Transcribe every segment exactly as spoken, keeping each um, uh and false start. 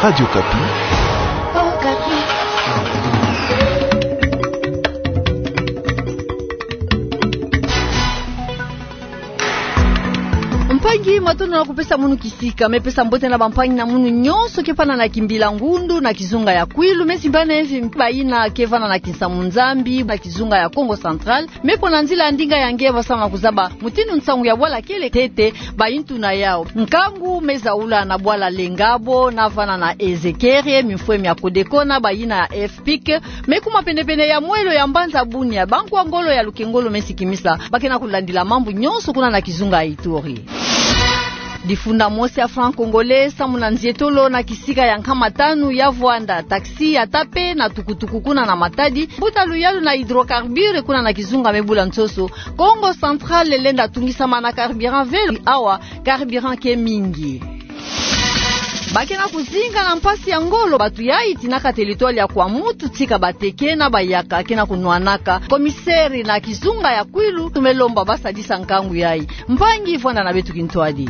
Radio Okapi. Mpangi, matondo na kupesa munu kisika. Me pesa mbote na bampangi na munu nyonso ke vanda na Kimbilangundu na kizunga ya Kwilu, me simbana efi bayina ke vanda na Kinsamu-Nzambi na kizunga ya Kongo Central. Me pona nzila ya ndinga ya nge ba sama kuzaba mutindu nsangu ya bwala kele ntete, bayintu na yau. Nkangu me zaula na bwala Lengabo, na vanda na Ezekere, mimfwe mia Codeco na bayina ya FPIC. Me kuma penepene ya mwelo ya mbanza Bunia, bankwa ngolo ya Lukengolo me sikimisa ba ke na kulandila mambu nyonso kuna na kizunga ya Ituri. Difunda mosi ya franc congolais samu na nzietolo na kisika ya nkama tanu ya vwanda, taxi ya tape na tukutuku kuna na Matadi. Mbuta luyalu na hydrocarbures kuna na kizunga me bula nsoso. Kongo Central lenda tungisama na carburant ve, awa carburant ke mingi. Ba ke na kuzinga na mpasi ya ngolo, batu yayi tinaka territoire ya Kwamouth, tika bateke na bayaka ke na kunwanaka. Commissaire na kizunga ya Kwilu me lomba ba sadisa nkangu yayi. Mpangi, vwanda na beto kintwadi.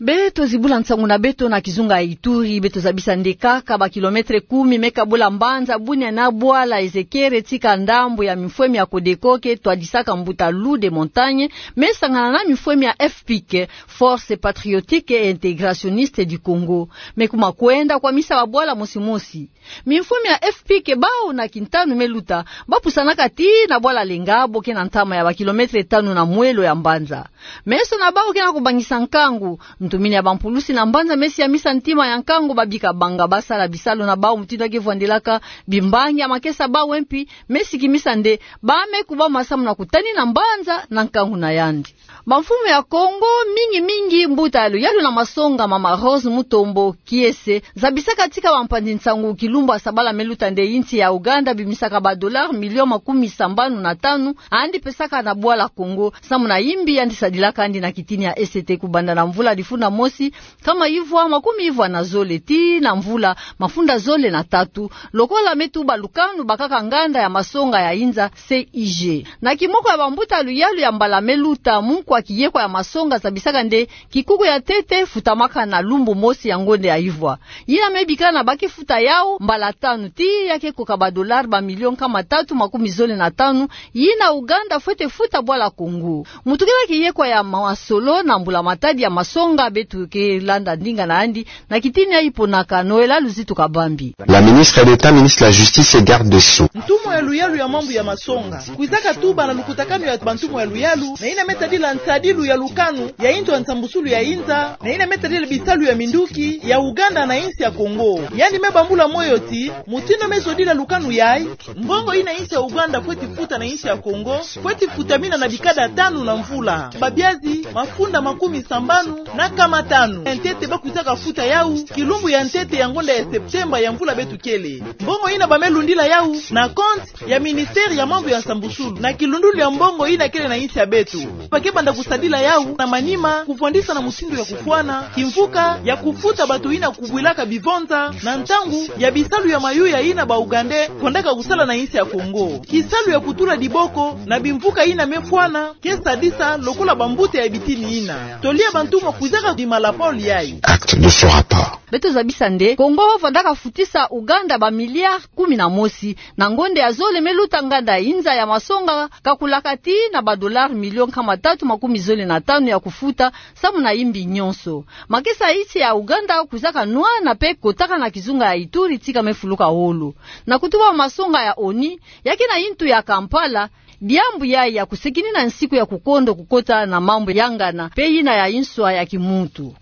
Beto zibula nsangu na beto na kizunga ya Ituri, beto zabisa nde kaka ba kilomètre kumi me kabula mbanza Bunia na bwala Ezekere, tika ndambu ya mimfwe mia Codeco ke twadisaka mbuta Loup des Montagnes me sangana na mimfwe mia FPIC, Force Patriotique et Intégrationniste du Congo. Me kuma kwenda kwamisa babwala mosi mosi. Mimfwe mia FPIC bau na kintanu me luta, ba pusanaka tii na bwala Lengabo ke na ntama ya ba kilomètre tanu na mwelo ya mbanza. Meso na bau ke na kubangisa nkangu. Ntumini ya bampulusi na mbanza me siamisa ntima ya nkangu, babika banga ba sala bisalu na bau mutindu ya ke vwandelaka. Bimbangi ya makesa bau mpi me sikimisa nde ba me kubama samu na kutani na mbanza na nkangu na yandi. Bamfumu ya Kongo, mingi mingi mbuta ya luyalu na masonga, mama Rose Mutombo Kiese, zabisaka tika bampanzi nsangu kilumbu ya sabala me luta nde insi ya Ouganda bimisaka ba dollars millions makumi sambanu na tanu, yandi pesaka na bwala Congo samu na imbi yandi sadilaka yandi na kitini ya E C T kubanda na mvula difunda mosi nkama ivwa makumi ivwa na zole tii na mvula mafunda zole na tatu, lokola me tuba lukanu bakaka nganda ya masonga ya inza C I G. Na kimoko ya bambuta luyalu ya mbala me luta, munkwa kiyekwa ya masonga zabisaka nde kikuku ya ntete futamaka na lumbu mosi ya ngonde ya ivwa. Yina me bikana ba ke futa yau mbala tanu tii ya ke koka ba dollars ba millions nkama tatu makumi zole na tanu, yina Ouganda fwete futa bwala Congo. Mutukila kiyekwa ya masolo na mbula-matadi ya masonga, beto ke landa ndinga na yandi na kitini ya iponaka Noëlla Luzitu Kabambi. La ministre d'État, ministre de la Justice et garde des Sceaux. Ntumwa ya luyalu ya mambu ya masonga kwizaka tuba na lukutakanu ya bantumwa ya luyalu, na yina me tadila nsadilu ya lukanu ya inzo ya nsambusulu ya inza, na yina me tadila bisalu ya minduki ya Ouganda na insi ya Congo. Yandi me bambula moyo ti mutindu me zodila lukanu yayi, mbongo yina insi ya Ouganda fweti futa na insi ya Congo fweti futamina na bikada tanu na mvula. Babiazi mafunda makumi sambanu na nkama tanu ya ntete ba kwizaka futa yau kilumbu ya ntete ya ngonda ya Septembre ya mvula beto kele. Mbongo yina ba me lundila yau na compte ya ministère ya mambu ya nsambusulu na kilundulu ya mbongo yina kele na insi ya beto. Ba ke banda kusadila yau na manima kufwandisa na mutindu ya kufwana kimvuka ya kufuta bato yina kubwilaka bivonza na ntangu ya bisalu ya mayuya yina ba Ougandais kwendaka kusala na insi ya Congo. Kisalu ya kutula diboko na bimvuka yina me fwana ke sadisa lokola bambuta ya bitini yina. Toli ya bantumwa kwizaka bima na pole yayi. Acte de ce rapport. Beto zabisa nde Congo fwandaka futisa Ouganda ba milliards kumi na mosi na ngonda ya zole me luta, nganda ya inza ya masonga kakulaka tii na ba dollars millions nkama tatu makumi zole na tanu ya kufuta samu na imbi nyonso. Makesa ya insi ya Ouganda kwizaka nwana mpe kotaka na kizunga ya Ituri tika me fuluka wolo. Na kutuba masonga ya ONU ya ke na yintu ya Kampala, diambu yayi ya kusekinina nsiku ya kukondo kukota na mambu ya ngana mpe yina ya inswa ya kimuntu.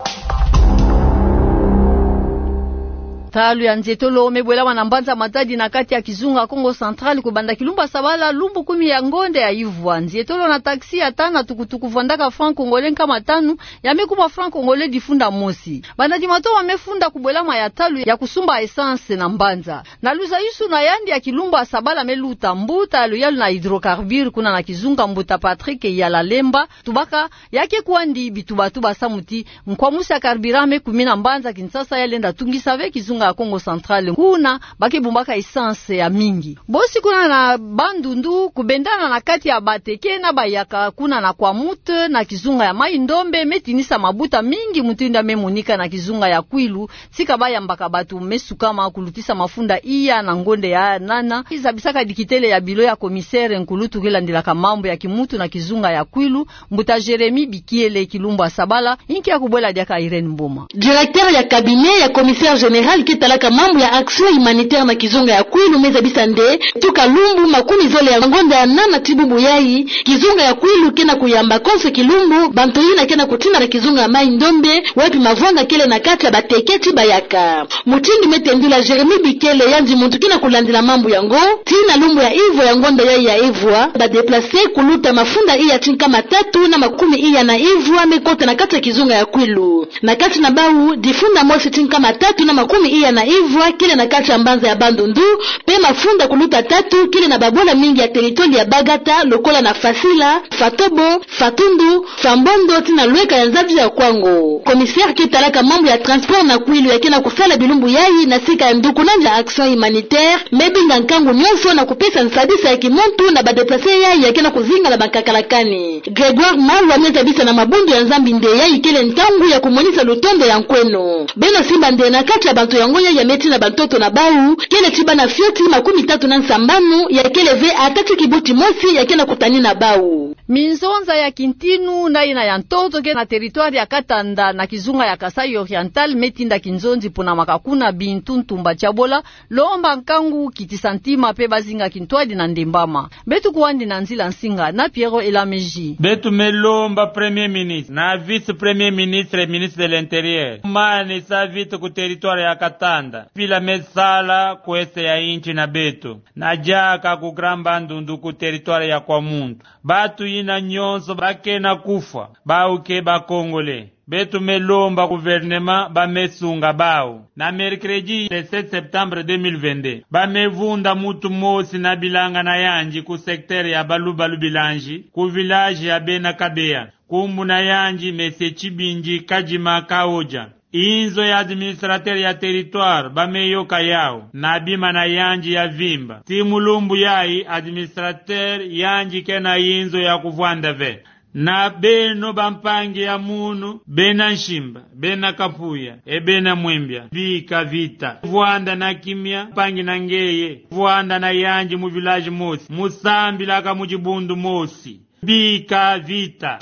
Ntalu ya nzietolo me bwelama na mbanza Matadi na kati ya kizunga Kongo Central kubanda kilumbu ya sabala lumbu kumi ya ngonda ya ivwa. Nzietolo na taxi ya tanu na tukutuku fwandaka franc congolais nkama tanu, ya me kuma franc congolais difunda mosi. Banda di matoma me funda kubwelama ya ntalu ya kusumba essence na mbanza. Na luzayusu na yandi ya kilumbu ya sabala me luta, mbuta ya luyalu na hydrocarbures kuna na kizunga, mbuta Patrick Yala Lemba, tubaka ya ke kwandi bituba-tuba samu ti nkwamusi ya carburant me kumina mbanza Kinshasa ya lenda tungisa ve kizunga ya Kongo Central, kuna ba ke bumbaka essence ya mingi. Bosi kuna na Bandundu, kubendana na kati ya bateke na bayaka kuna na Kwamouth, na kizunga ya Mai-Ndombe, me tinisa mabuta mingi mutindu ya me monika na kizunga ya Kwilu, tika ba yambaka bato me sukama kulutisa mafunda iya na ngonda ya nana. Zabisaka dikitele ya bilo ya commissaire nkulutu ke landilaka mambu ya kimuntu na kizunga ya Kwilu, mbuta Jérémie Bikiele, kilumbu ya sabala, inki ya kubwela diaka Irène Mboma. Directeur ya cabinet ya commissaire général ke talaka mambu ya action humanitaire na kizunga ya Kwilu me zabisa nde, tuka lumbu makumi zole ya ngonda ya nana ti bubu yayi, kizunga ya Kwilu ke na kuyamba konso kilumbu bantu yina ke na kutina na kizunga ya Mai-Ndombe, wapi mavwanga kele na kati ya bateke ti bayaka. Mutindu me tendula Jérémie Bikiele, yandi muntu ke na kulandila mambu yango, tii na lumbu ya ivwa ya ngonda yayi ya ivwa, ba déplacer kuluta mafunda iya ti nkama tatu na makumi iya na ivwa me kota na kati ya kizunga ya Kwilu. Na kati na bawu, difunda mosi ti nkama tatu na makumi iya na ivwa kele na kati ya mbanza ya Bandundu, pe mafunda kuluta tatu kele na babola mingi ya territoire ya Bagata, lokola na Fasila, Fatobo, Fatundu, Fambondo, tii na Lweka ya nzabi ya Kwango. Commissaire ke talaka mambu ya transport na Kwilu, ya ke na kusala bilumbu yayi na sika ya ndukunandi ya action humanitaire, me binga nkangu nyonso na kupesa nsadisa ya kimuntu na ba déplacer yayi ya ke na kuzinga na ba nkakala kani. Grégoire Malwa me zabisa na mabundu ya Nzambi nde yayi kele ntangu ya kumonisa lutondo ya nkweno. Beno simba nde na kati ya bantu yango yayi ya me tina bantoto na bawu, kele ti bana fioti makumi tatu na nsambanu, ya kele ve ata ti kibuti mosi ya ke na kutani na bawu. Minzonza ya kintinu na yina ya ntoto ke na territoire ya Katanda na kizunga ya Kasaï Oriental me tinda kinzonzi pona makakuna bintu ntumba tiabola, lomba nkangu, kitisa ntima pe bazinga kintwadi na ndembama. Beto kwandi na nzila nsinga na Pierrot Elameji. Beto me lomba Premier Ministre, na Vice-Premier Ministre, Ministre de l'Intérieur, manisa vita ku territoire ya Katanda, mpila me sala ku est ya insi na beto, na diaka ku Grand Bandundu ku territoire ya Kwamuntu. Bantu yina nyonso ba ke na kufwa, bawu ke ba Congolais. Beto me lomba gouvernement ba me sunga bawu. Na mercredi le sept septembre deux mille vingt-deux, ba me vunda muntu mosi na bilanga na yandi ku secteur ya Balubalu Bilangi, ku village ya Bena Kabeya. Nkumbu na yandi Monsieur Tshibindi Kadima Kaodja. Inzo ya administrateur ya territoire ba me yoka yawu na bima na yandi ya vimba. Tii mu lumbu yayi administrateur yandi ke na inzo ya kuvwanda ve. Na beno bampangi ya munu, bena Nsimba, bena Kapuya, e bena Mwembia, bika vita. Vwanda na kimia, mpangi na ngeye, vwanda na yandi mu village mosi, mu sambilaka mu dibundu mosi. Bika vita.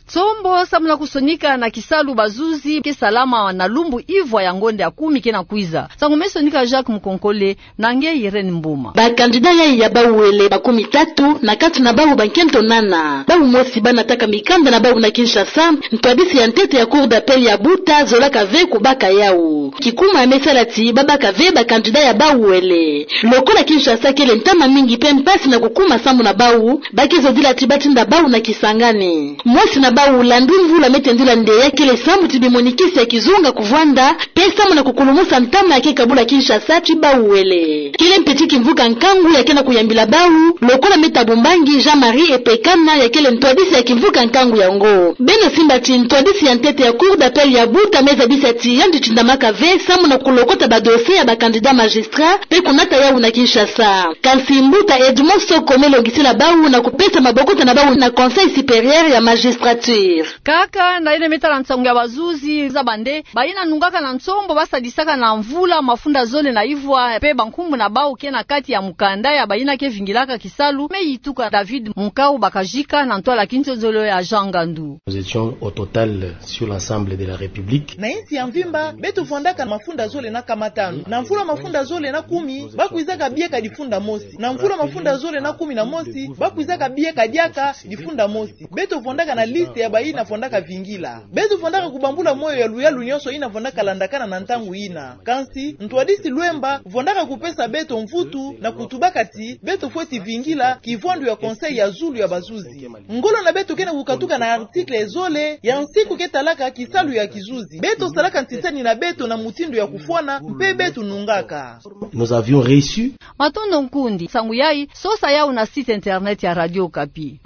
Nsombo samu na kusonika na kisalu bazuzi ke salama na lumbu ivwa ya ngonda ya kumi ke na kwiza. Nsangu me sonika Jacques Mukonkole na nge Irène Mboma. Ba candidat yayi ya bawele makumi tatu, na kati na bawu bankento nana. Bawu mosi ba nataka mikanda na bawu na Kinshasa, ntwadisi ya ntete ya Cour d'appel ya Buta zolaka ve kubaka yawu. Kikuma ya me sala ti babaka ve ba candidat ya bawele. Lokola Kinshasa kele ntama mingi pe mpasi na kukuma sambu na bawu, ba ke zodila ti ba tinda bawu na Kisangani. Mosi na bawu Landry Mvula me tendula nde ya kele sambu ti bimonikisi ya kizunga kuvwanda, pe sambu na kukulumusa ntama ya ke kabula Kinshasa ti bawele. Kele mpe ti kimvuka nkangu ya ke na kuyambila bawu, lokola Me Thabo Mbangi Jean-Marie Epekana ya kele ntwadisi ya kimvuka nkangu yango. Beno simba ti ntwadisi ya ntete ya Cour d'appel ya Buta me zabisa ti yandi tindamaka ve sambu na kulokota ba dossier ya ba candidat magistrat, pe kunata yawu na Kinshasa. Kansi mbuta Edmond Soko me longisila bawu na kupesa mabokota na bawu na Conseil supérieur ya magistrature. Kaka na yina me tala nsangu ya bazuzi, zaba nde bayina nungaka na nsombo ba sadisaka na mvula mafunda zole na ivwa, pe bankumbu na bawu ke na kati ya mukanda ya bayina ke vingilaka kisalu, me yituka David Munkau Bakajika na ntwala kinsonzolo ya Jean Ngandu. Nous étions au total sur l'ensemble de la République. Na insi ya mvimba, beto vwandaka mafunda zole na nkama tanu. Na mvula mafunda zole na kumi, ba kwizaka bieka difunda mosi. Na mvula mafunda zole na kumi na mosi, ba kwizaka bieka diaka difunda mosi. Beto vwandaka na liste ya bayina vwandaka vingila. Beto vwandaka kubambula moyo ya luyalu nyonso yina vwandaka landakana na ntangu yina. Kansi, ntwadisi Lwemba vwandaka kupesa beto mvutu na kutubaka ti beto fweti vingila kivwandu ya Conseil ya zulu ya bazuzi. Ngolo na beto ke na kukatuka na article zole ya nsiku ke talaka kisalu ya kizuzi. Beto salaka nsisani na beto na mutindu ya kufwana, mpe beto nungaka. Nous avions réussi. Matondo nkundi. Nsangu yayi, sosa yawu na site internet ya Radio Okapi.